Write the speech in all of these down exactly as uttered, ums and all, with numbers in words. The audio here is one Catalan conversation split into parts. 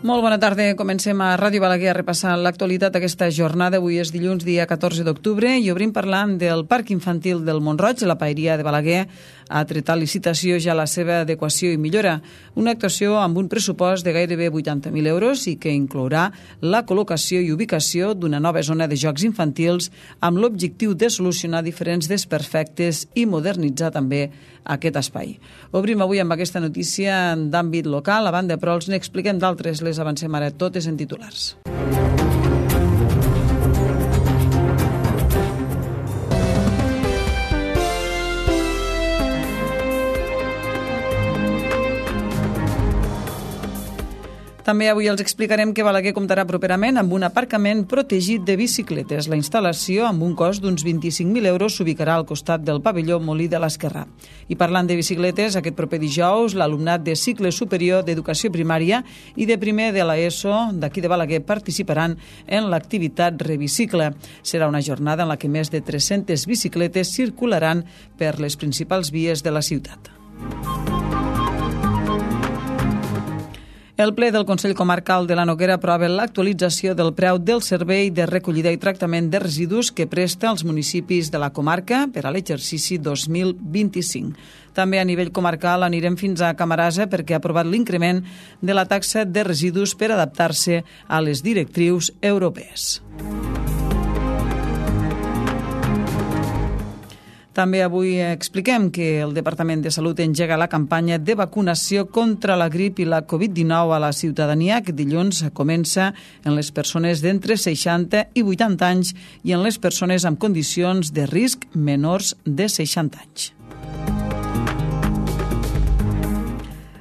Molt bona tarda. Comencem a Ràdio Balaguer a repassar l'actualitat d'aquesta jornada. Avui és dilluns, dia catorze d'octubre, i obrim parlant del Parc Infantil del Mont-roig. La Paeria de Balaguer ha tret a licitació ja la seva adequació i millora. Una actuació amb un pressupost de gairebé vuitanta mil euros i que inclourà la col·locació i ubicació d'una nova zona de jocs infantils amb l'objectiu de solucionar diferents desperfectes i modernitzar també aquest espai. Obrim avui amb aquesta notícia d'àmbit local. A banda, però, els n'expliquem d'altres. Les avancem ara totes en titulars. També avui els explicarem que Balaguer comptarà properament amb un aparcament protegit de bicicletes. La instal·lació, amb un cost d'uns vint-i-cinc mil euros, s'ubicarà al costat del pavelló Molí de l'Esquerrà. I parlant de bicicletes, aquest proper dijous, l'alumnat de cicle superior d'educació primària i de primer de l'ESO d'aquí de Balaguer participaran en l'activitat Rebicicle. Serà una jornada en la que més de tres-centes bicicletes circularan per les principals vies de la ciutat. El ple del Consell Comarcal de la Noguera aprova l'actualització del preu del servei de recollida i tractament de residus que presta als municipis de la comarca per a l'exercici dos mil vint-i-cinc. També a nivell comarcal anirem fins a Camarasa perquè ha aprovat l'increment de la taxa de residus per adaptar-se a les directrius europees. També avui expliquem que el Departament de Salut engega la campanya de vacunació contra la grip i la covid dinou a la ciutadania, que dilluns comença en les persones d'entre seixanta i vuitanta anys i en les persones amb condicions de risc menors de seixanta anys.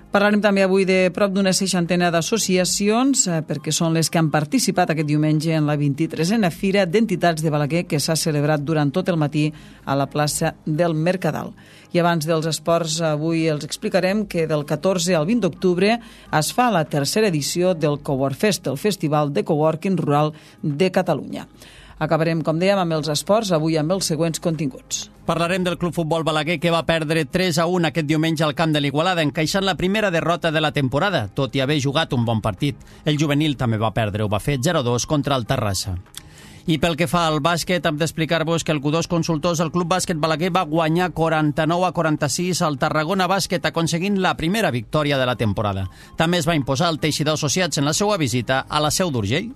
Parlarem també avui de prop d'una seixantena d'associacions perquè són les que han participat aquest diumenge en la vint-i-tresena Fira d'Entitats de Balaguer que s'ha celebrat durant tot el matí a la plaça del Mercadal. I abans dels esports, avui els explicarem que del catorze al vint d'octubre es fa la tercera edició del Cowork Fest, el Festival de Coworking Rural de Catalunya. Acabarem, com dèiem, amb els esports, avui amb els següents continguts. Parlarem del Club Futbol Balaguer, que va perdre tres a un aquest diumenge al camp de l'Igualada, encaixant la primera derrota de la temporada, tot i haver jugat un bon partit. El juvenil també va perdre, ho va fer zero a dos contra el Terrassa. I pel que fa al bàsquet, hem d'explicar-vos que el Q dos Consultors, el Club Bàsquet Balaguer, va guanyar quaranta-nou a quaranta-sis al Tarragona Bàsquet, aconseguint la primera victòria de la temporada. També es va imposar el Teixidor Associats en la seva visita a la Seu d'Urgell.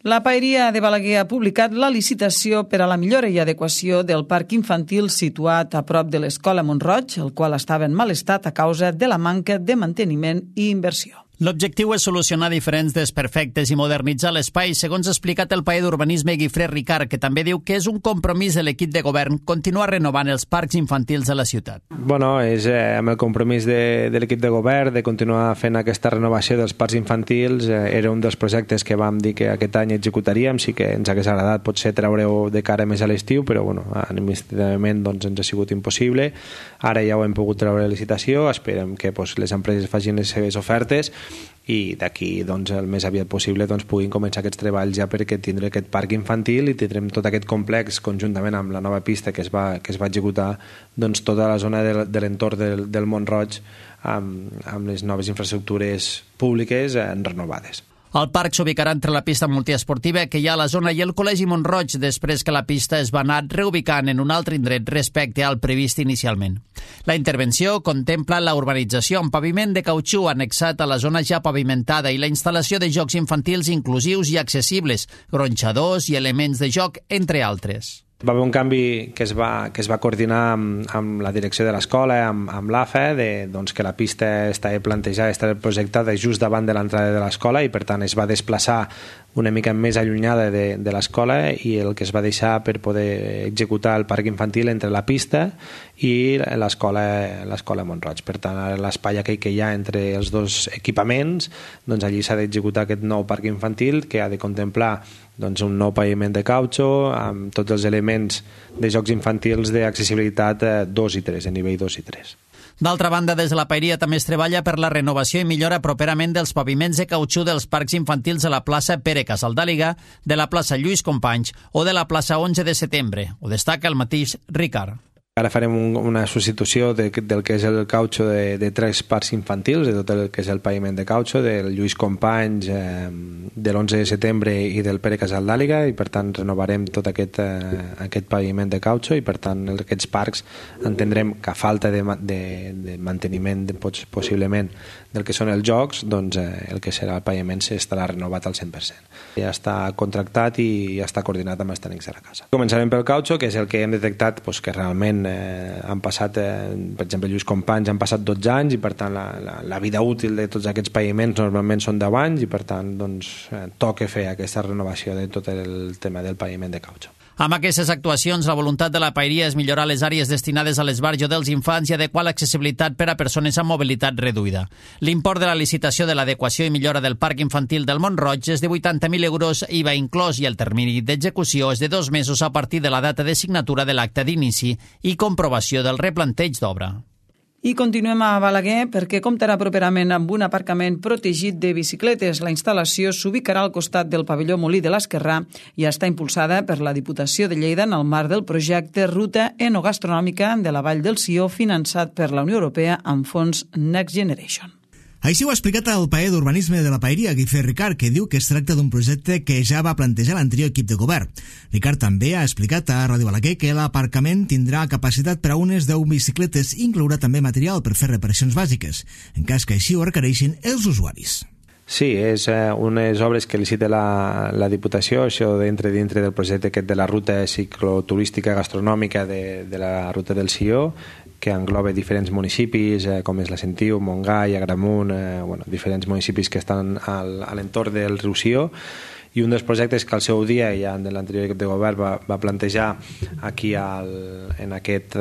La Paeria de Balaguer ha publicat la licitació per a la millora i adequació del parc infantil situat a prop de l'Escola Mont-roig, el qual estava en mal estat a causa de la manca de manteniment i inversió. L'objectiu és solucionar diferents desperfectes i modernitzar l'espai, segons ha explicat el paer d'Urbanisme Guifré Ricard, que també diu que és un compromís de l'equip de govern continuar renovant els parcs infantils de la ciutat. Bueno, és eh, amb el compromís de, de l'equip de govern de continuar fent aquesta renovació dels parcs infantils. Eh, era un dels projectes que vam dir que aquest any executaríem, sí que ens hagués agradat potser treure-ho de cara més a l'estiu, però bueno, administrativament doncs, ens ha sigut impossible. Ara ja ho hem pogut treure a licitació, esperem que doncs, les empreses facin les seves ofertes i d'aquí doncs, el més aviat possible doncs, puguin començar aquests treballs ja perquè tindrem aquest parc infantil i tindrem tot aquest complex conjuntament amb la nova pista que es va, que es va executar doncs, tota la zona de, de l'entorn del, del Mont-roig amb, amb les noves infraestructures públiques eh, renovades. El parc s'ubicarà entre la pista multiesportiva que hi ha a la zona i el Col·legi Mont-roig després que la pista es va anar reubicant en un altre indret respecte al previst inicialment. La intervenció contempla la urbanització amb paviment de cautxú annexat a la zona ja pavimentada i la instal·lació de jocs infantils inclusius i accessibles, gronxadors i elements de joc, entre altres. Va haver un canvi que es va, que es va coordinar amb, amb la direcció de l'escola, amb, amb l'A F E, de, doncs, que la pista estava plantejada, estava projectada just davant de l'entrada de l'escola i per tant es va desplaçar una mica més allunyada de, de l'escola i el que es va deixar per poder executar el parc infantil entre la pista i l'escola l'escola Mont-roig. Per tant, l'espai aquell que hi ha entre els dos equipaments, doncs allí s'ha d'executar aquest nou parc infantil que ha de contemplar doncs, un nou paviment de cautxo amb tots els elements de jocs infantils d'accessibilitat dos i tres, a nivell dos i tres. D'altra banda, des de la Paeria també es treballa per la renovació i millora properament dels paviments de cautxú dels parcs infantils de la plaça Pere Casaldàliga, de la plaça Lluís Companys o de la plaça onze de setembre. Ho destaca el mateix Ricard. Ara farem un, una substitució de, del que és el cautxo de, de tres parcs infantils, de tot el que és el paviment de cautxo, del Lluís Companys, eh, de l'onze de setembre i del Pere Casaldàliga, i per tant renovarem tot aquest, eh, aquest paviment de cautxo, i per tant aquests parcs entendrem que a falta de, de, de manteniment de, possiblement del que són els jocs, doncs eh, el que serà el paviment estarà renovat al cent per cent. Ja està contractat i ja està coordinat amb els tècnics de la casa. Començarem pel cautxo, que és el que hem detectat doncs, que realment Eh, han passat, eh, per exemple, Lluís Companys han passat dotze anys i per tant la, la, la vida útil de tots aquests paviments normalment són deu anys i per tant doncs, eh, toca fer aquesta renovació de tot el tema del paviment de cautxo. Amb aquestes actuacions, la voluntat de la Paeria és millorar les àrees destinades a l'esbarjo dels infants i adequar l'accessibilitat per a persones amb mobilitat reduïda. L'import de la licitació de l'adequació i millora del parc infantil del Mont-roig és de vuitanta mil euros I V A inclòs i el termini d'execució és de dos mesos a partir de la data de signatura de l'acte d'inici i comprovació del replanteig d'obra. I continuem a Balaguer perquè comptarà properament amb un aparcament protegit de bicicletes. La instal·lació s'ubicarà al costat del pavelló Molí de l'Esquerrà i està impulsada per la Diputació de Lleida en el marc del projecte Ruta Enogastronòmica de la Vall del Sió, finançat per la Unió Europea amb fons Next Generation. Així ho ha explicat el paer d'Urbanisme de la Paeria, Guifré Ricard, que diu que es tracta d'un projecte que ja va plantejar l'anterior equip de govern. Ricard també ha explicat a Ràdio Balaguer que l'aparcament tindrà capacitat per a unes deu bicicletes i inclourà també material per fer reparacions bàsiques, en cas que així ho requereixin els usuaris. Sí, és eh, unes obres que licita la, la Diputació, això dintre, dintre del projecte aquest de la ruta cicloturística gastronòmica de, de la ruta del Sió, que engloba diferents municipis, eh, com és la Sentiu, Montgai, Agramunt, eh, bueno, diferents municipis que estan al, a l'entorn del riu Sió, i un dels projectes que al seu dia, ja de l'anterior equip de govern, va, va plantejar aquí al, en, aquest,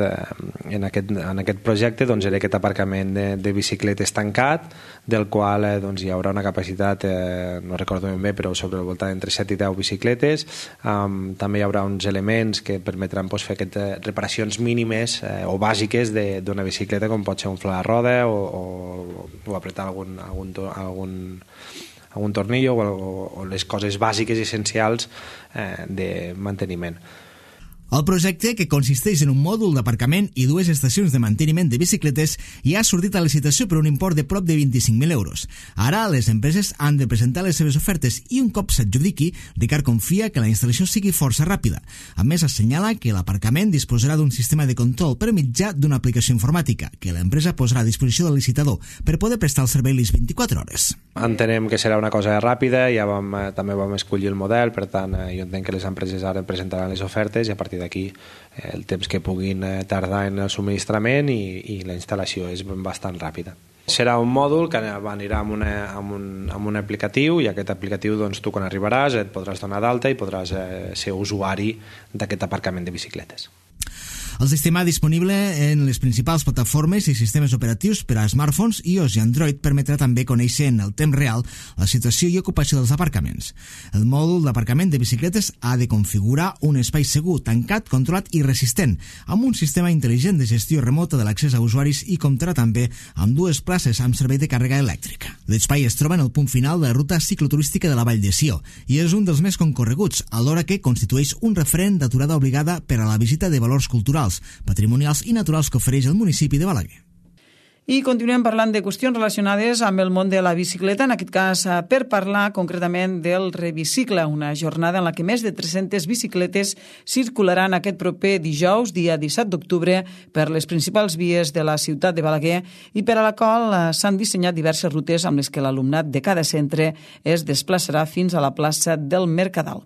en, aquest, en aquest projecte doncs, era aquest aparcament de, de bicicletes tancat, del qual eh, doncs, hi haurà una capacitat, eh, no recordo ben bé, però sobre el voltant entre set i deu bicicletes. Um, també hi haurà uns elements que permetran doncs, fer aquestes reparacions mínimes eh, o bàsiques d'una bicicleta, com pot ser un fla de roda o, o, o apretar algun, algun, algun algun tornillo o, o les coses bàsiques i essencials eh, de manteniment. El projecte, que consisteix en un mòdul d'aparcament i dues estacions de manteniment de bicicletes, ja ha sortit a licitació per un import de prop de vint-i-cinc mil euros. Ara les empreses han de presentar les seves ofertes i un cop s'adjudiqui, Ricard confia que la instal·lació sigui força ràpida. A més, assenyala que l'aparcament disposarà d'un sistema de control per mitjà d'una aplicació informàtica, que l'empresa posarà a disposició del licitador per poder prestar el servei les vint-i-quatre hores. Entenem que serà una cosa ràpida, ja vam, eh, també vam escollir el model, per tant, eh, jo entenc que les empreses ara presentaran les ofertes i a partir d'aquí eh, el temps que puguin eh, tardar en el subministrament i, i la instal·lació és bastant ràpida. Serà un mòdul que anirà amb, una, amb, un, amb un aplicatiu i aquest aplicatiu doncs, tu quan arribaràs et podràs donar d'alta i podràs eh, ser usuari d'aquest aparcament de bicicletes. El sistema disponible en les principals plataformes i sistemes operatius per a smartphones, iOS i Android permetrà també conèixer en el temps real la situació i ocupació dels aparcaments. El mòdul d'aparcament de bicicletes ha de configurar un espai segur, tancat, controlat i resistent, amb un sistema intel·ligent de gestió remota de l'accés a usuaris i comptarà també amb dues places amb servei de càrrega elèctrica. L'espai es troba en el punt final de la ruta cicloturística de la Vall de Sió i és un dels més concorreguts, alhora que constitueix un referent d'aturada obligada per a la visita de valors culturals, patrimonials i naturals que ofereix el municipi de Balaguer. I continuem parlant de qüestions relacionades amb el món de la bicicleta, en aquest cas per parlar concretament del Rebicicle, una jornada en la que més de tres-centes bicicletes circularan aquest proper dijous, dia disset d'octubre, per les principals vies de la ciutat de Balaguer i per a la qual s'han dissenyat diverses rutes amb les que l'alumnat de cada centre es desplaçarà fins a la plaça del Mercadal.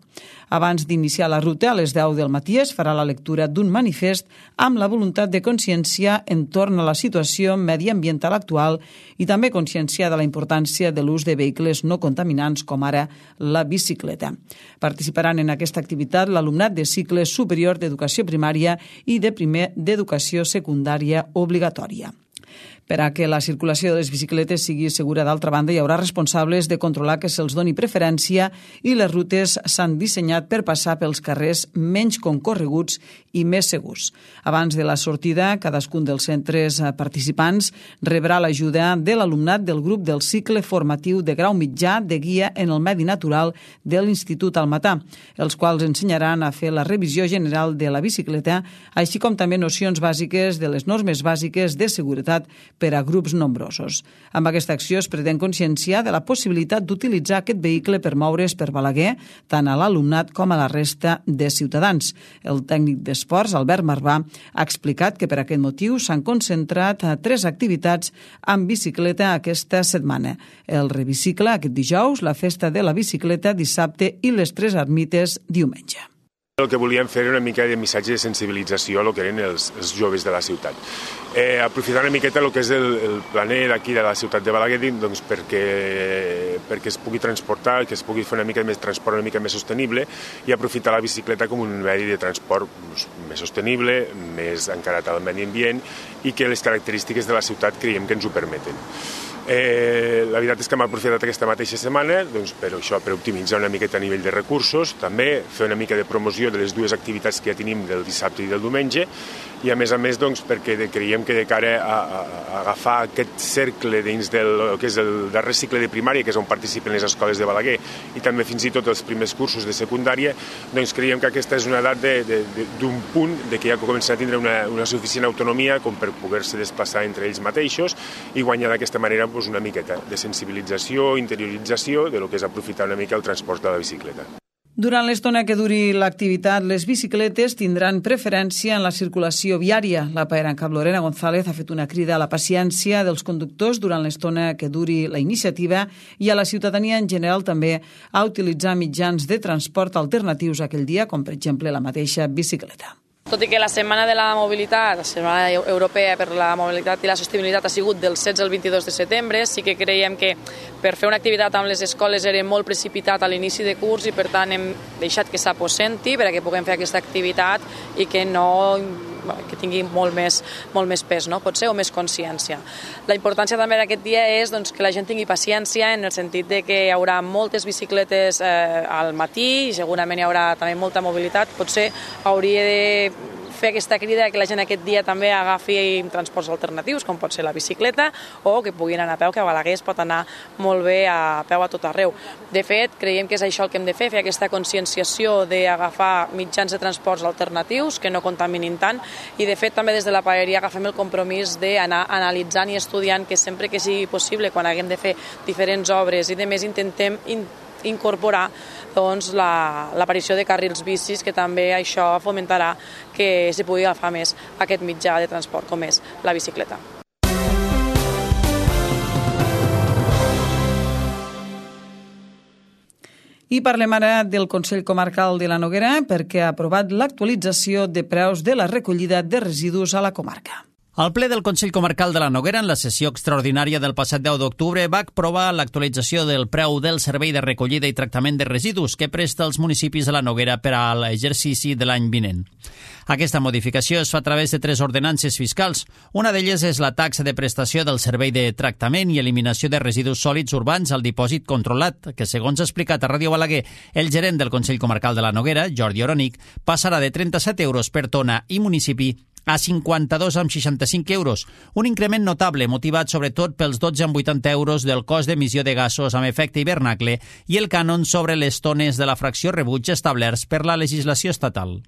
Abans d'iniciar la ruta, a les deu del matí es farà la lectura d'un manifest amb la voluntat de conscienciar entorn a la situació mediambiental actual i també conscienciar de la importància de l'ús de vehicles no contaminants com ara la bicicleta. Participaran en aquesta activitat l'alumnat de cicle superior d'educació primària i de primer d'educació secundària obligatòria. Per a que la circulació de les bicicletes sigui segura, d'altra banda, hi haurà responsables de controlar que se'ls doni preferència i les rutes s'han dissenyat per passar pels carrers menys concorreguts i més segurs. Abans de la sortida, cadascun dels centres participants rebrà l'ajuda de l'alumnat del grup del cicle formatiu de grau mitjà de guia en el medi natural de l'Institut Almatà, els quals ensenyaran a fer la revisió general de la bicicleta, així com també nocions bàsiques de les normes bàsiques de seguretat per a grups nombrosos. Amb aquesta acció es pretén conscienciar de la possibilitat d'utilitzar aquest vehicle per moure's per Balaguer, tant a l'alumnat com a la resta de ciutadans. El tècnic d'esports, Albert Marvà, ha explicat que per aquest motiu s'han concentrat a tres activitats amb bicicleta aquesta setmana. El Revicicle aquest dijous, la Festa de la Bicicleta dissabte i les Tres Ermites diumenge. El que volíem fer era una mica de missatge de sensibilització a lo que eren els, els joves de la ciutat. Eh, aprofitar una miqueta el que és el, el planer d'aquí de la ciutat de Balaguer, doncs perquè, perquè es pugui transportar, que es pugui fer una mica més transport una mica més sostenible i aprofitar la bicicleta com un medi de transport doncs, més sostenible, més encarat al medi ambient i que les característiques de la ciutat creiem que ens ho permeten. Eh, la veritat és que hem aprofitat aquesta mateixa setmana doncs, per això, per optimitzar una miqueta a nivell de recursos, també fer una mica de promoció de les dues activitats que ja tenim del dissabte i del diumenge i a més a més doncs, perquè creiem que de cara a, a, a agafar aquest cercle dins del que és el darrer cicle de primària, que és on participen les escoles de Balaguer i també fins i tot els primers cursos de secundària, doncs creiem que aquesta és una edat d'un punt de que ja comencen a tindre una, una suficient autonomia com per poder-se desplaçar entre ells mateixos i guanyar d'aquesta manera doncs, una miqueta de sensibilització, interiorització de lo que és aprofitar una mica el transport de la bicicleta. Durant l'estona que duri l'activitat, les bicicletes tindran preferència en la circulació viària. La paeranca Lorena González ha fet una crida a la paciència dels conductors durant l'estona que duri la iniciativa i a la ciutadania en general també a utilitzar mitjans de transport alternatius aquell dia, com per exemple la mateixa bicicleta. Tot i que la Setmana de la Mobilitat, la Setmana Europea per la Mobilitat i la Sostenibilitat ha sigut del setze al vint-i-dos de setembre, sí que creiem que per fer una activitat amb les escoles era molt precipitat a l'inici de curs i per tant hem deixat que s'aposenti perquè puguem fer aquesta activitat i que no que tingui molt més, molt més pes, no? Potser, o més consciència. La importància també d'aquest dia és doncs, que la gent tingui paciència en el sentit de que hi haurà moltes bicicletes eh, al matí i segurament hi haurà també molta mobilitat. Potser hauria de fer aquesta crida que la gent aquest dia també agafi transports alternatius, com pot ser la bicicleta, o que puguin anar a peu, que a Balaguer es pot anar molt bé a peu a tot arreu. De fet, creiem que és això el que hem de fer, fer aquesta conscienciació d'agafar mitjans de transports alternatius que no contaminin tant, i de fet també des de la paeria agafem el compromís d'anar analitzant i estudiant que sempre que sigui possible, quan haguem de fer diferents obres i de més, intentem incorporar doncs, l'aparició la, de carrils bicis, que també això fomentarà que s'hi pugui agafar més aquest mitjà de transport com és la bicicleta. I parlem ara del Consell Comarcal de la Noguera perquè ha aprovat l'actualització de preus de la recollida de residus a la comarca. El ple del Consell Comarcal de la Noguera, en la sessió extraordinària del passat deu d'octubre, va aprovar l'actualització del preu del servei de recollida i tractament de residus que presta els municipis de la Noguera per a l'exercici de l'any vinent. Aquesta modificació es fa a través de tres ordenances fiscals. Una d'elles és la taxa de prestació del servei de tractament i eliminació de residus sòlids urbans al dipòsit controlat, que, segons ha explicat a Ràdio Balaguer el gerent del Consell Comarcal de la Noguera, Jordi Oronic, passarà de trenta-set euros per tona i municipi a cinquanta-dos coma seixanta-cinc euros, un increment notable motivat sobretot pels dotze coma vuitanta euros del cost d'emissió de gasos amb efecte hivernacle i el cànon sobre les tones de la fracció rebuig establerts per la legislació estatal.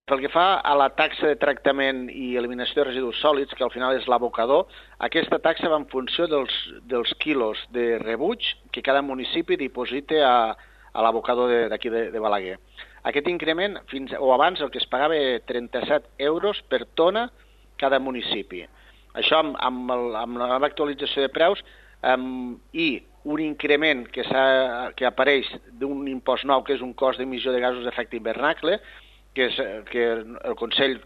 Pel que fa a la taxa de tractament i eliminació de residus sòlids, que al final és l'abocador, aquesta taxa va en funció dels, dels quilos de rebuig que cada municipi diposita a, a l'abocador d'aquí de, de Balaguer. Aquest increment, fins o abans, el que es pagava trenta-set euros per tona cada municipi. Això amb, amb, el, amb la nova actualització de preus um, i un increment que, que apareix d'un impost nou, que és un cost d'emissió de gasos d'efecte hivernacle, que, és, que el Consell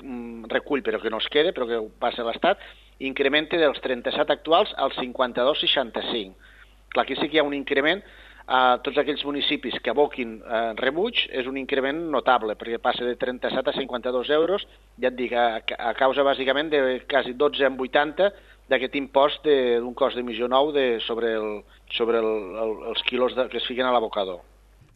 recull però que no es queda, però que passa a l'Estat, incrementa dels trenta-set actuals als cinquanta-dos coma seixanta-cinc. Clar, aquí sí que hi ha un increment. A tots aquells municipis que aboquin eh, rebuig és un increment notable, perquè passa de trenta-set a cinquanta-dos euros, ja et dic, a, a causa bàsicament de quasi dotze coma vuitanta d'aquest impost d'un cost d'emissió nou de, sobre, el, sobre el, el, els quilos de, que es fiquen a l'abocador.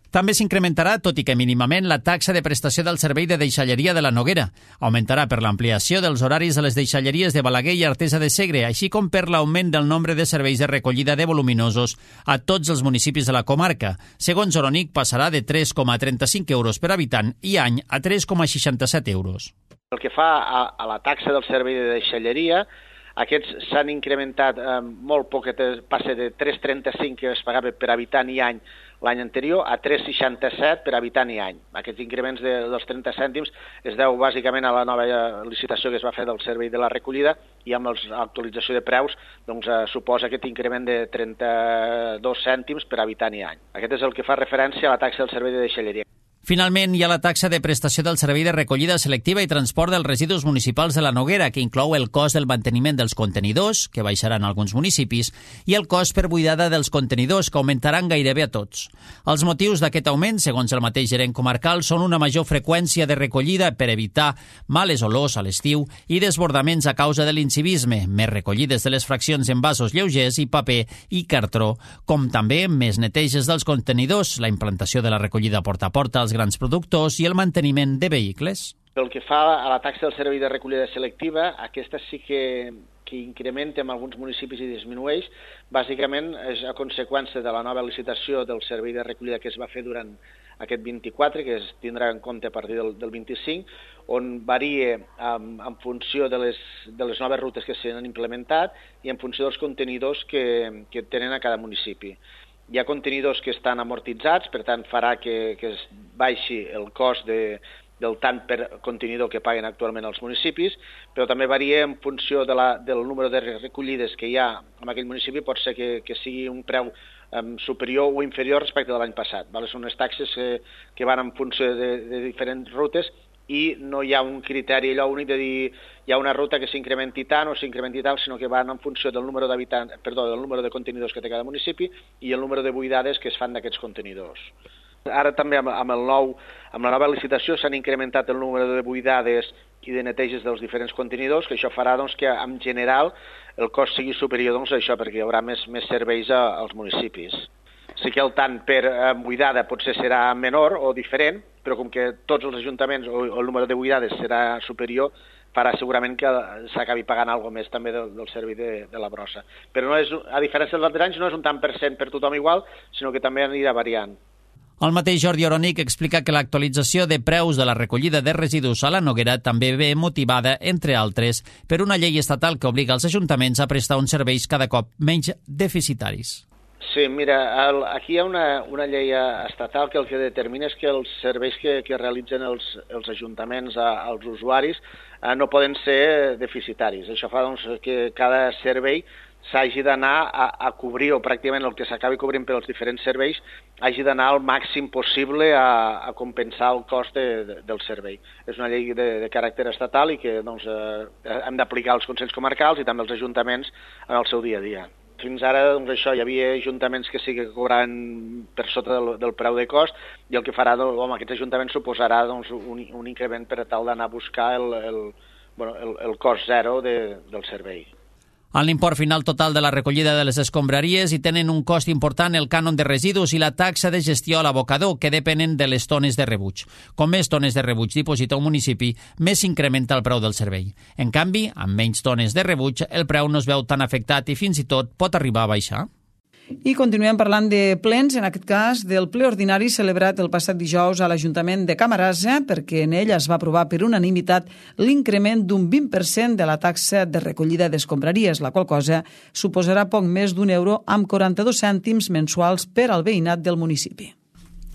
També s'incrementarà, tot i que mínimament, la taxa de prestació del servei de deixalleria de la Noguera. Augmentarà per l'ampliació dels horaris de les deixalleries de Balaguer i Artesa de Segre, així com per l'augment del nombre de serveis de recollida de voluminosos a tots els municipis de la comarca. Segons Oronic, passarà de tres coma trenta-cinc euros per habitant i any a tres coma seixanta-set euros. El que fa a, a la taxa del servei de deixalleria, aquests s'han incrementat eh, molt poc, passa de tres coma trenta-cinc que es pagava per habitant i any l'any anterior a tres coma seixanta-set per habitant i any. Aquests increments de, dels trenta cèntims es deu bàsicament a la nova licitació que es va fer del servei de la recollida i amb l'actualització de preus doncs, eh, suposa aquest increment de trenta-dos cèntims per habitant i any. Aquest és el que fa referència a la taxa del servei de deixalleria. Finalment, hi ha la taxa de prestació del servei de recollida selectiva i transport dels residus municipals de la Noguera, que inclou el cost del manteniment dels contenidors, que baixaran a alguns municipis, i el cost per buidada dels contenidors, que augmentaran gairebé a tots. Els motius d'aquest augment, segons el mateix gerent comarcal, són una major freqüència de recollida per evitar males olors a l'estiu i desbordaments a causa de l'incivisme, més recollides de les fraccions en vasos lleugers i paper i cartró, com també més neteges dels contenidors, la implantació de la recollida porta a porta als grans productors i el manteniment de vehicles. Pel que fa a la taxa del servei de recollida selectiva, aquesta sí que, que incrementa en alguns municipis i disminueix. Bàsicament és a conseqüència de la nova licitació del servei de recollida que es va fer durant aquest vint-i-quatre, que es tindrà en compte a partir del, del vint-i-cinc, on varia en, en funció de les, de les noves rutes que s'han implementat i en funció dels contenidors que, que tenen a cada municipi. Hi ha contenidors que estan amortitzats, per tant farà que, que es baixi el cost de, del tant per contenidor que paguen actualment els municipis, però també varia en funció de la, del número de recollides que hi ha en aquell municipi, pot ser que, que sigui un preu um, superior o inferior respecte de l'any passat. Vale? Són unes taxes que, que van en funció de, de diferents rutes i no hi ha un criteri allò únic de dir hi ha una ruta que s'incrementi tant o s'incrementi tal, sinó que van en funció del número d'habitants, perdó, del número de contenidors que té cada municipi i el número de buidades que es fan d'aquests contenidors. Ara també amb, amb, el nou, amb la nova licitació s'han incrementat el número de buidades i de neteges dels diferents contenidors, que això farà doncs, que en general el cost sigui superior doncs, a això, perquè hi haurà més, més serveis a, als municipis. Sí que el tant per eh, buidada potser serà menor o diferent, però com que tots els ajuntaments o, o el número de buidades serà superior, farà segurament que s'acabi pagant alguna més també del, del servei de, de la brossa. Però no és, a diferència dels altres anys no és un tant per cent per tothom igual, sinó que també anirà variant. El mateix Jordi Oronic explica que l'actualització de preus de la recollida de residus a la Noguera també ve motivada, entre altres, per una llei estatal que obliga els ajuntaments a prestar uns serveis cada cop menys deficitaris. Sí, mira, el, aquí hi ha una, una llei estatal que el que determina és que els serveis que, que realitzen els, els ajuntaments a, als usuaris eh, no poden ser deficitaris. Això fa doncs, que cada servei s'hagi d'anar a, a cobrir, o pràcticament el que s'acabi cobrint per als diferents serveis, hagi d'anar al màxim possible a, a compensar el cost de, de, del servei. És una llei de, de caràcter estatal i que doncs, eh, hem d'aplicar als consells comarcals i també als ajuntaments en el seu dia a dia. Fins ara, doncs, això, hi havia ajuntaments que sí que cobraven per sota del, del preu de cost i el que farà, doncs, home, aquests ajuntaments suposarà doncs, un, un increment per tal d'anar a buscar el, el, bueno, el, el cost zero de, del servei. En l'import final total de la recollida de les escombraries hi tenen un cost important el cànon de residus i la taxa de gestió a l'abocador, que depenen de les tones de rebuig. Com més tones de rebuig diposita un municipi, més s'incrementa el preu del servei. En canvi, amb menys tones de rebuig, el preu no es veu tan afectat i fins i tot pot arribar a baixar. I continuem parlant de plens, en aquest cas del ple ordinari celebrat el passat dijous a l'Ajuntament de Camarasa, perquè en ell es va aprovar per unanimitat l'increment d'un vint per cent de la taxa de recollida d'escombraries, la qual cosa suposarà poc més d'un euro amb quaranta-dos cèntims mensuals per al veïnat del municipi.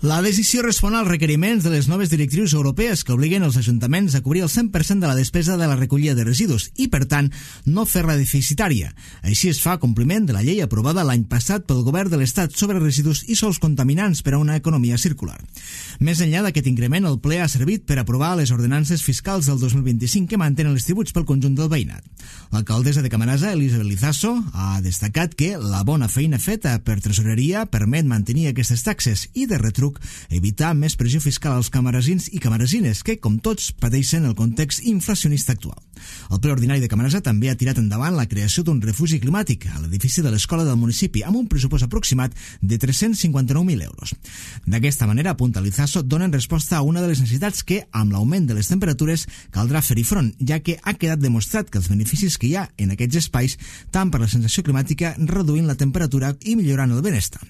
La decisió respon als requeriments de les noves directrius europees que obliguen els ajuntaments a cobrir el cent per cent de la despesa de la recollida de residus i, per tant, no fer-la deficitària. Així es fa compliment de la llei aprovada l'any passat pel Govern de l'Estat sobre residus i sòls contaminants per a una economia circular. Més enllà d'aquest increment, el ple ha servit per aprovar les ordenances fiscals del dos mil vint-i-cinc que mantenen els tributs pel conjunt del veïnat. L'alcaldessa de Camarasa, Elisabet Lizaso, ha destacat que la bona feina feta per Tresoreria permet mantenir aquestes taxes i de retrobar truc evitar més pressió fiscal als camaresins i camaresines, que, com tots, pateixen el context inflacionista actual. El ple ordinari de Camarasa també ha tirat endavant la creació d'un refugi climàtic a l'edifici de l'escola del municipi, amb un pressupost aproximat de tres-cents cinquanta-nou mil euros. D'aquesta manera, apunta l'Izaso, donen resposta a una de les necessitats que, amb l'augment de les temperatures, caldrà fer-hi front, ja que ha quedat demostrat que els beneficis que hi ha en aquests espais, tant per la sensació climàtica, reduint la temperatura i millorant el benestar.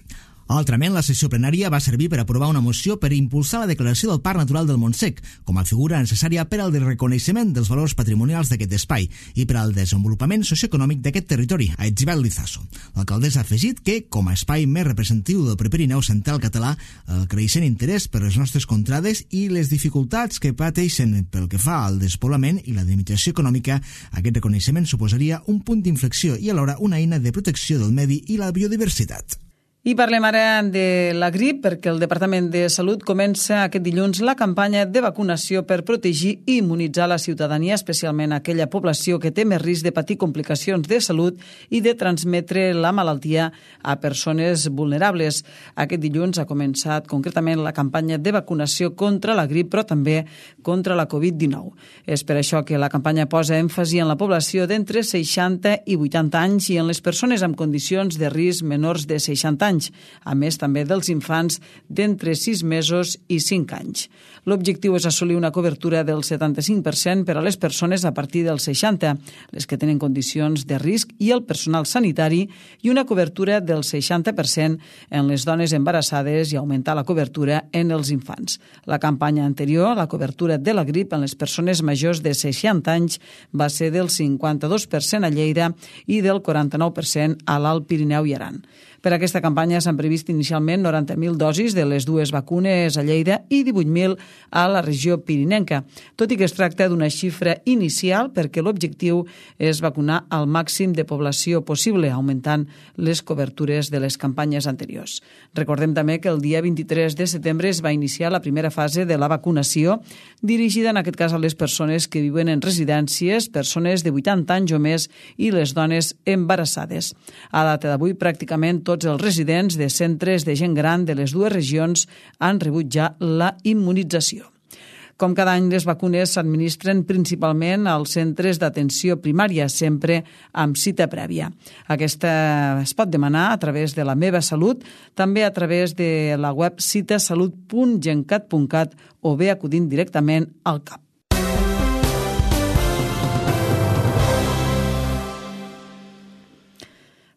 Altrament, la sessió plenària va servir per aprovar una moció per impulsar la declaració del Parc Natural del Montsec com a figura necessària per al reconeixement dels valors patrimonials d'aquest espai i per al desenvolupament socioeconòmic d'aquest territori, ha etzibat l'Izaso. L'alcaldessa ha afegit que, com a espai més representatiu del Prepirineu central català, el creixent interès per les nostres contrades i les dificultats que pateixen pel que fa al despoblament i la limitació econòmica, aquest reconeixement suposaria un punt d'inflexió i alhora una eina de protecció del medi i la biodiversitat. I parlem ara de la grip, perquè el Departament de Salut comença aquest dilluns la campanya de vacunació per protegir i immunitzar la ciutadania, especialment aquella població que té més risc de patir complicacions de salut i de transmetre la malaltia a persones vulnerables. Aquest dilluns ha començat concretament la campanya de vacunació contra la grip, però també contra la covid dinou. És per això que la campanya posa èmfasi en la població d'entre seixanta i vuitanta anys i en les persones amb condicions de risc menors de seixanta anys, a més també dels infants d'entre sis mesos i cinc anys. L'objectiu és assolir una cobertura del setanta-cinc per cent per a les persones a partir dels seixanta, les que tenen condicions de risc i el personal sanitari, i una cobertura del seixanta per cent en les dones embarassades i augmentar la cobertura en els infants. La campanya anterior, la cobertura de la grip en les persones majors de seixanta anys, va ser del cinquanta-dos per cent a Lleida i del quaranta-nou per cent a l'Alt Pirineu i Aran. Per aquesta campanya s'han previst inicialment noranta mil dosis de les dues vacunes a Lleida i divuit mil a la regió pirinenca, tot i que es tracta d'una xifra inicial perquè l'objectiu és vacunar al màxim de població possible, augmentant les cobertures de les campanyes anteriors. Recordem també que el dia vint-i-tres de setembre es va iniciar la primera fase de la vacunació, dirigida en aquest cas a les persones que viuen en residències, persones de vuitanta anys o més i les dones embarassades. A data d'avui, pràcticament tots els residents de centres de gent gran de les dues regions han rebut ja la immunització. Com cada any, les vacunes s'administren principalment als centres d'atenció primària, sempre amb cita prèvia. Aquesta es pot demanar a través de la Meva Salut, també a través de la web citasalut punt gencat punt cat o bé acudint directament al C A P.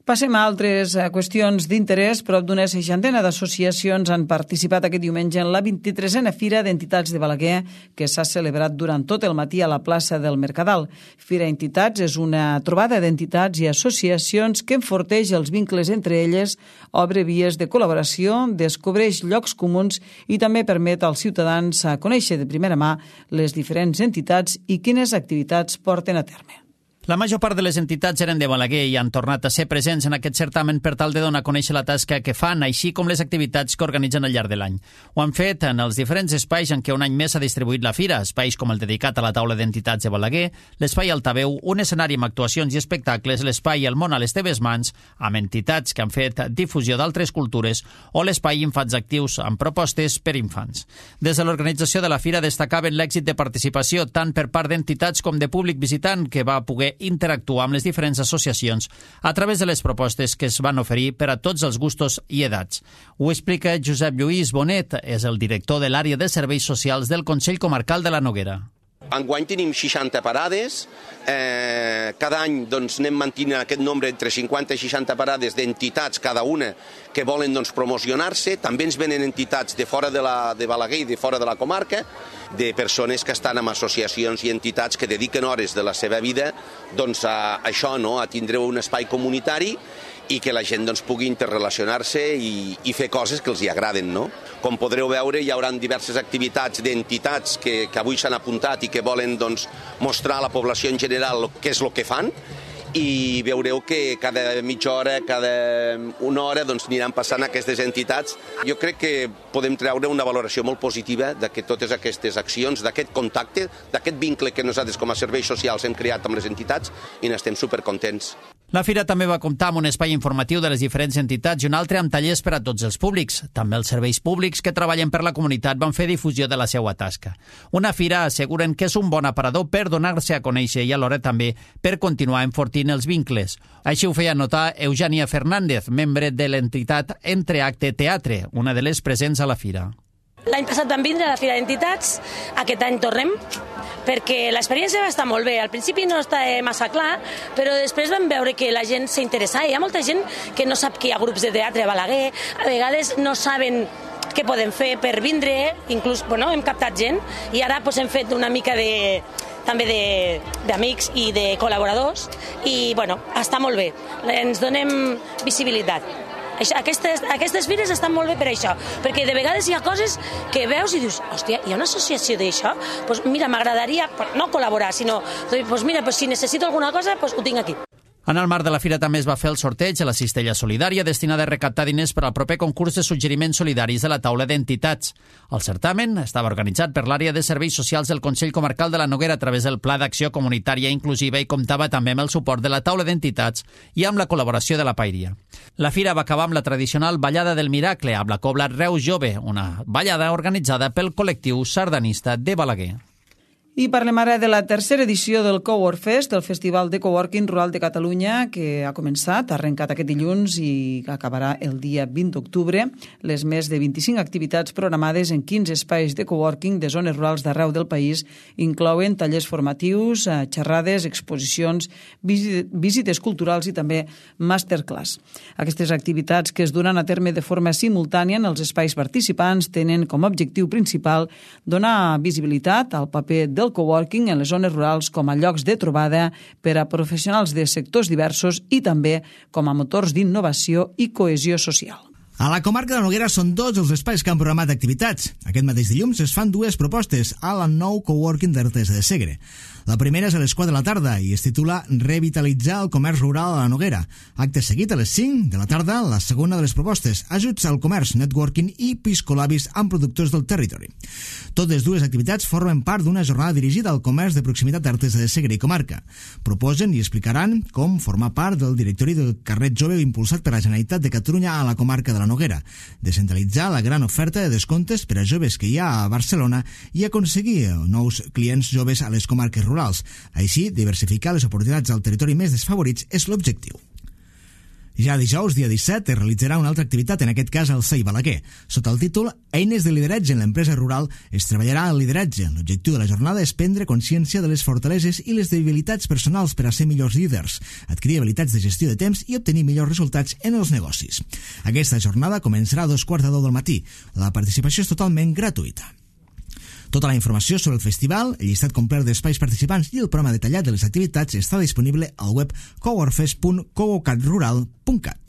Passem a altres qüestions d'interès. Prop d'una seixantena d'associacions han participat aquest diumenge en la vint-i-tresena Fira d'Entitats de Balaguer, que s'ha celebrat durant tot el matí a la plaça del Mercadal. Fira Entitats és una trobada d'entitats i associacions que enforteix els vincles entre elles, obre vies de col·laboració, descobreix llocs comuns i també permet als ciutadans a conèixer de primera mà les diferents entitats i quines activitats porten a terme. La major part de les entitats eren de Balaguer i han tornat a ser presents en aquest certamen per tal de donar a conèixer la tasca que fan, així com les activitats que organitzen al llarg de l'any. Ho han fet en els diferents espais en què un any més s'ha distribuït la fira, espais com el dedicat a la taula d'entitats de Balaguer, l'espai Altaveu, un escenari amb actuacions i espectacles, l'espai El món a les teves mans, amb entitats que han fet difusió d'altres cultures, o l'espai Infants Actius, amb propostes per infants. Des de l'organització de la fira destacaven l'èxit de participació tant per part d'entitats com de públic visitant, que va poder interactuar amb les diferents associacions a través de les propostes que es van oferir per a tots els gustos i edats. Ho explica Josep Lluís Bonet, és el director de l'àrea de serveis socials del Consell Comarcal de la Noguera. Enguany tenim seixanta parades, eh, cada any doncs, anem mantenint aquest nombre entre cinquanta i seixanta parades d'entitats, cada una, que volen doncs, promocionar-se. També ens venen entitats de fora de, la, de Balaguer i de fora de la comarca, de persones que estan en associacions i entitats que dediquen hores de la seva vida doncs, a això, no? A tindre un espai comunitari i que la gent doncs, pugui interrelacionar-se i, i fer coses que els hi agraden. No? Com podreu veure, hi haurà diverses activitats d'entitats que, que avui s'han apuntat i que volen doncs, mostrar a la població en general què és el que fan, i veureu que cada mitja hora, cada una hora doncs, aniran passant aquestes entitats. Jo crec que podem treure una valoració molt positiva de que totes aquestes accions, d'aquest contacte, d'aquest vincle que nosaltres com a serveis socials hem creat amb les entitats, i n'estem supercontents. La fira també va comptar amb un espai informatiu de les diferents entitats i un altre amb tallers per a tots els públics. També els serveis públics que treballen per la comunitat van fer difusió de la seva tasca. Una fira asseguren que és un bon aparador per donar-se a conèixer i alhora també per continuar enfortint els vincles. Així ho feia notar Eugènia Fernández, membre de l'entitat Entreacte Teatre, una de les presents a la fira. L'any passat vam vindre a la Fira d'Entitats, aquest any tornem, perquè l'experiència va estar molt bé. Al principi no està massa clar, però després vam veure que la gent s'interessa. Hi ha molta gent que no sap que hi ha grups de teatre a Balaguer, a vegades no saben què podem fer per vindre, inclús bueno, hem captat gent, i ara doncs, hem fet una mica de, també d'amics i de col·laboradors, i bueno, està molt bé, ens donem visibilitat. Aquestes, aquestes fires estan molt bé per això, perquè de vegades hi ha coses que veus i dius, hòstia, hi ha una associació d'això? Doncs mira, m'agradaria, no col·laborar, sinó, doncs mira, doncs si necessito alguna cosa, doncs ho tinc aquí. En el marc de la fira també es va fer el sorteig de la cistella solidària destinada a recaptar diners per al proper concurs de suggeriments solidaris de la taula d'entitats. El certamen estava organitzat per l'àrea de serveis socials del Consell Comarcal de la Noguera a través del Pla d'Acció Comunitària Inclusiva i comptava també amb el suport de la taula d'entitats i amb la col·laboració de la Paeria. La fira va acabar amb la tradicional Ballada del Miracle, amb la cobla Reus Jove, una ballada organitzada pel col·lectiu sardanista de Balaguer. I parlem ara de la tercera edició del Cowork Fest, el Festival de Coworking Rural de Catalunya, que ha començat, ha arrencat aquest dilluns i acabarà el dia vint d'octubre. Les més de vint-i-cinc activitats programades en quinze espais de coworking de zones rurals d'arreu del país inclouen tallers formatius, xerrades, exposicions, visites culturals i també masterclass. Aquestes activitats que es duran a terme de forma simultània en els espais participants tenen com a objectiu principal donar visibilitat al paper del coworking en les zones rurals com a llocs de trobada per a professionals de sectors diversos i també com a motors d'innovació i cohesió social. A la comarca de la Noguera són dos els espais que han programat activitats. Aquest mateix dilluns es fan dues propostes a la nou coworking d'Artesa de Segre. La primera és a les quatre de la tarda i es titula Revitalitzar el comerç rural a la Noguera. Acte seguit a les cinc de la tarda, la segona de les propostes, ajuts al comerç, networking i piscolabis amb productors del territori. Totes dues activitats formen part d'una jornada dirigida al comerç de proximitat d'Artesa de Segre i comarca. Proposen i explicaran com formar part del directori del carret jove impulsat per la Generalitat de Catalunya a la comarca de la Noguera, descentralitzar la gran oferta de descomptes per a joves que hi ha a Barcelona i aconseguir nous clients joves a les comarques rurals. Així, diversificar les oportunitats al territori més desfavorits és l'objectiu. Ja dijous, dia disset, es realitzarà una altra activitat, en aquest cas al C E I Balaguer. Sota el títol Eines de lideratge en l'empresa rural es treballarà el lideratge. L'objectiu de la jornada és prendre consciència de les fortaleses i les debilitats personals per a ser millors líders, adquirir habilitats de gestió de temps i obtenir millors resultats en els negocis. Aquesta jornada començarà a dos quarts de deu del matí. La participació és totalment gratuïta. Tota la informació sobre el festival, el llistat complet d'espais participants i el programa detallat de les activitats està disponible al web coworkfest punt coworkrural punt cat.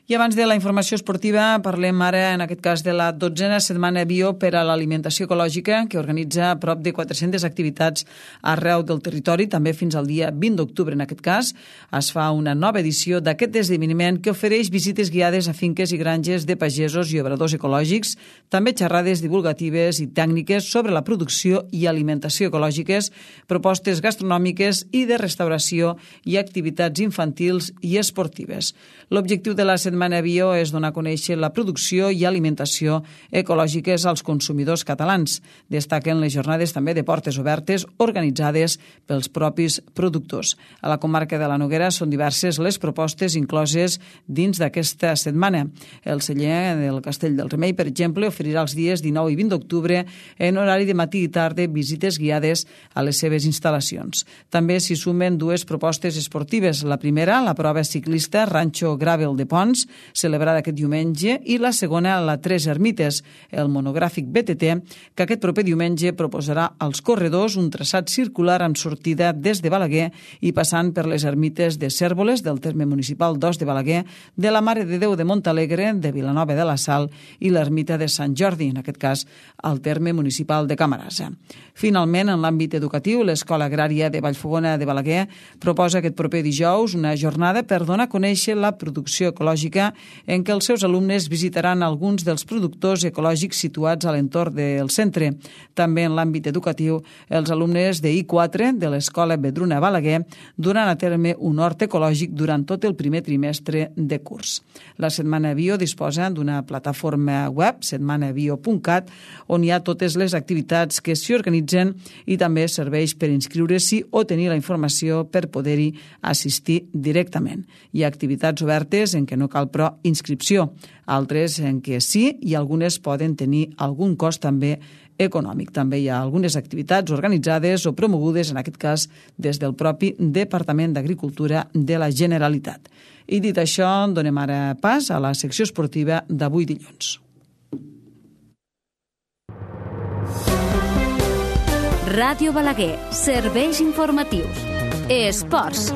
I abans de la informació esportiva parlem ara, en aquest cas, de la dotzena setmana bio per a l'alimentació ecològica, que organitza prop de quatre-centes activitats arreu del territori, també fins al dia vint d'octubre. En aquest cas, es fa una nova edició d'aquest esdeveniment que ofereix visites guiades a finques i granges de pagesos i obradors ecològics, també xerrades divulgatives i tècniques sobre la producció i alimentació ecològiques, propostes gastronòmiques i de restauració i activitats infantils i esportives. L'objectiu de la setmana Setmana Bio és donar a conèixer la producció i alimentació ecològiques als consumidors catalans. Destaquen les jornades també de portes obertes organitzades pels propis productors. A la comarca de la Noguera són diverses les propostes incloses dins d'aquesta setmana. El celler del Castell del Remei, per exemple, oferirà els dies dinou i vint d'octubre en horari de matí i tarda visites guiades a les seves instal·lacions. També s'hi sumen dues propostes esportives. La primera, la prova ciclista Rancho Gravel de Pons, celebrada aquest diumenge, i la segona, la Tres Ermites, el monogràfic B T T, que aquest proper diumenge proposarà als corredors un traçat circular amb sortida des de Balaguer i passant per les ermites de Cérvoles, del terme municipal d'Os de Balaguer, de la Mare de Déu de Montalegre, de Vilanova de la Sal i l'ermita de Sant Jordi, en aquest cas al terme municipal de Camarasa. Finalment, en l'àmbit educatiu, l'Escola Agrària de Vallfogona de Balaguer proposa aquest proper dijous una jornada per donar a conèixer la producció ecològica turística en què els seus alumnes visitaran alguns dels productors ecològics situats a l'entorn del centre. També en l'àmbit educatiu, els alumnes de I quatre de l'Escola Vedruna Balaguer duran a terme un hort ecològic durant tot el primer trimestre de curs. La Setmana Bio disposa d'una plataforma web, setmana bio punt cat, on hi ha totes les activitats que s'hi organitzen i també serveix per inscriure-s'hi o tenir la informació per poder-hi assistir directament. Hi ha activitats obertes en què no cal, però, inscripció, altres en què sí i algunes poden tenir algun cost també econòmic. També hi ha algunes activitats organitzades o promogudes, en aquest cas, des del propi Departament d'Agricultura de la Generalitat. I dit això, donem ara pas a la secció esportiva d'avui dilluns. Ràdio Balaguer, serveis informatius. Esports.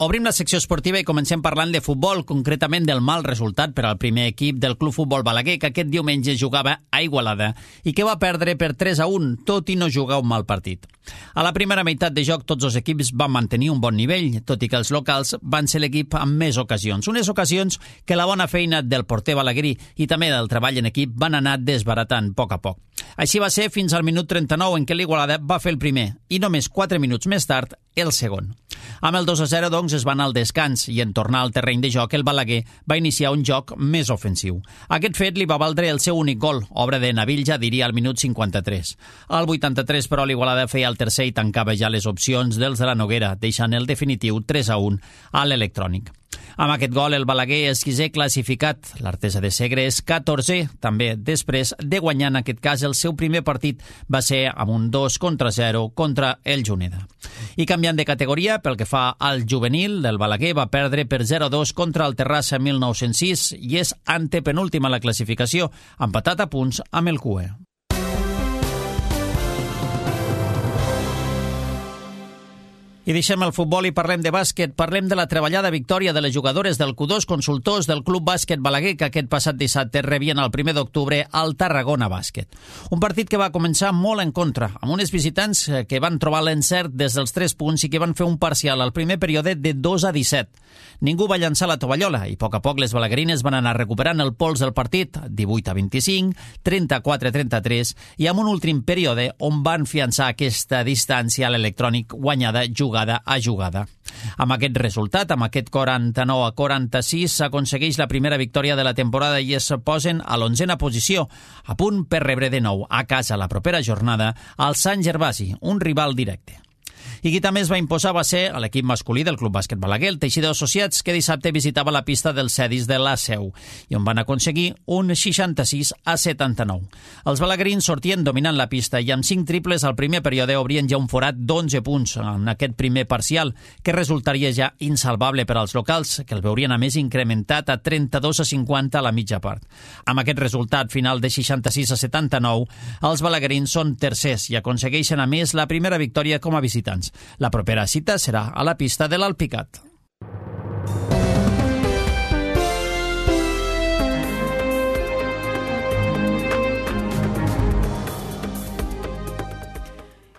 Obrim la secció esportiva i comencem parlant de futbol, concretament del mal resultat per al primer equip del Club Futbol Balaguer, que aquest diumenge jugava a Igualada i que va perdre per tres a un, tot i no jugar un mal partit. A la primera meitat de joc tots els equips van mantenir un bon nivell, tot i que els locals van ser l'equip amb més ocasions. Unes ocasions que la bona feina del porter balaguerí i també del treball en equip van anar desbaratant a poc a poc. Així va ser fins al minut trenta-nou en què l'Igualada va fer el primer i només quatre minuts més tard el segon. Amb el dos a zero, doncs, es va anar al descans i en tornar al terreny de joc el Balaguer va iniciar un joc més ofensiu. Aquest fet li va valdre el seu únic gol, obra de Nabil Jadiri al minut cinquanta-tres. Al vuitanta-tres, però, l'Igualada feia el tercer i tancava ja les opcions dels de la Noguera, deixant el definitiu tres a un a l'Electrònic. Amb aquest gol, el Balaguer és quinzè classificat. L'Artesa de Segre és catorzè, també després de guanyar, en aquest cas, el seu primer partit va ser amb un dos contra zero contra el Juneda. I canviant de categoria, pel que fa al juvenil, el Balaguer va perdre per zero a dos contra el Terrassa mil nou-cents sis i és antepenúltima a la classificació, empatat a punts amb el C U E. I deixem el futbol i parlem de bàsquet. Parlem de la treballada victòria de les jugadores del Q dos Consultors del Club Bàsquet Balaguer, que aquest passat dissabte rebien el primer d'octubre al Tarragona Bàsquet. Un partit que va començar molt en contra, amb unes visitants que van trobar l'encert des dels tres punts i que van fer un parcial al primer període de dos a disset. Ningú va llançar la tovallola i a poc a poc les balaguerines van anar recuperant el pols del partit, divuit a vint-i-cinc, trenta-quatre a trenta-tres, i amb un últim període on van fiançar aquesta distància a l'Electrònic guanyada jugada a jugada. Amb aquest resultat, amb aquest quaranta-nou a quaranta-sis, s'aconsegueix la primera victòria de la temporada i es posen a l'onzena posició, a punt per rebre de nou a casa la propera jornada al Sant Gervasi, un rival directe. I qui també es va imposar va ser l'equip masculí del Club Bàsquet Balaguer, el Teixidor Associats, que dissabte visitava la pista dels Cedis de la Seu i on van aconseguir un seixanta-sis a setanta-nou. Els balaguerins sortien dominant la pista i amb cinc triples al primer període obrien ja un forat d'onze punts en aquest primer parcial, que resultaria ja insalvable per als locals, que el veurien a més incrementat a trenta-dos a cinquanta a la mitja part. Amb aquest resultat final de seixanta-sis a setanta-nou, els balaguerins són tercers i aconsegueixen a més la primera victòria com a visitants. La propera cita serà a la pista de l'Alpicat.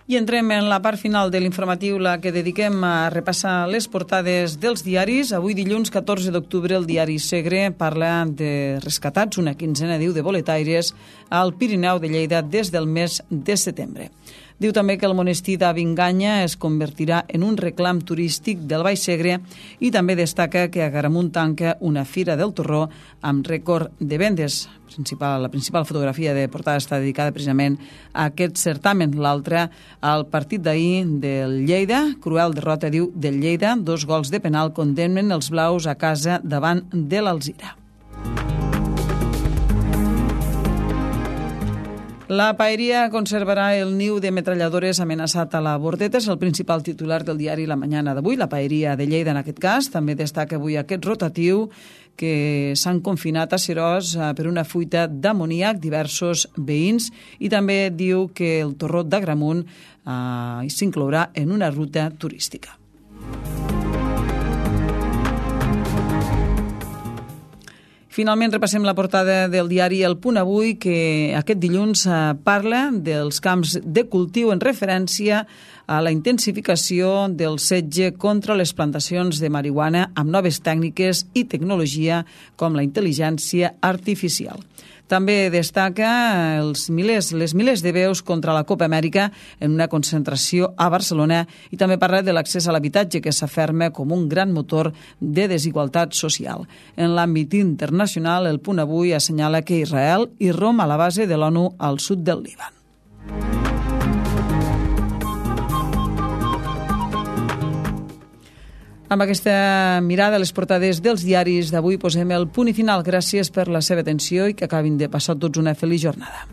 I entrem en la part final de l'informatiu, la que dediquem a repassar les portades dels diaris. Avui, dilluns catorze d'octubre, el diari Segre parla de rescatats, una quinzena, diu, de boletaires al Pirineu de Lleida des del mes de setembre. Diu també que el monestir d'Avinganya es convertirà en un reclam turístic del Baix Segre i també destaca que a Garamunt tanca una fira del torró amb rècord de vendes. Principal, la principal fotografia de portada està dedicada precisament a aquest certamen. L'altra al partit d'ahir del Lleida. Cruel derrota, diu, del Lleida. Dos gols de penal condemnen els blaus a casa davant de l'Alzira. La paeria conservarà el niu de metralladores amenaçat a la Bordeta. És el principal titular del diari La Mañana d'avui. La paeria de Lleida, en aquest cas, també destaca avui aquest rotatiu que s'han confinat a Seròs per una fuita d'amoníac diversos veïns i també diu que el torró d'Agramunt eh, s'inclourà en una ruta turística. Finalment repassem la portada del diari El Punt Avui, que aquest dilluns parla dels camps de cultiu en referència a la intensificació del setge contra les plantacions de marihuana amb noves tècniques i tecnologia com la intel·ligència artificial. També destaca els milers, les milers de veus contra la Copa Amèrica en una concentració a Barcelona i també parla de l'accés a l'habitatge que s'aferma com un gran motor de desigualtat social. En l'àmbit internacional, El Punt Avui assenyala que Israel irromp a la base de l'ONU al sud del Líban. Amb aquesta mirada a les portades dels diaris d'avui posem el punt i final. Gràcies per la seva atenció i que acabin de passar tots una feliç jornada.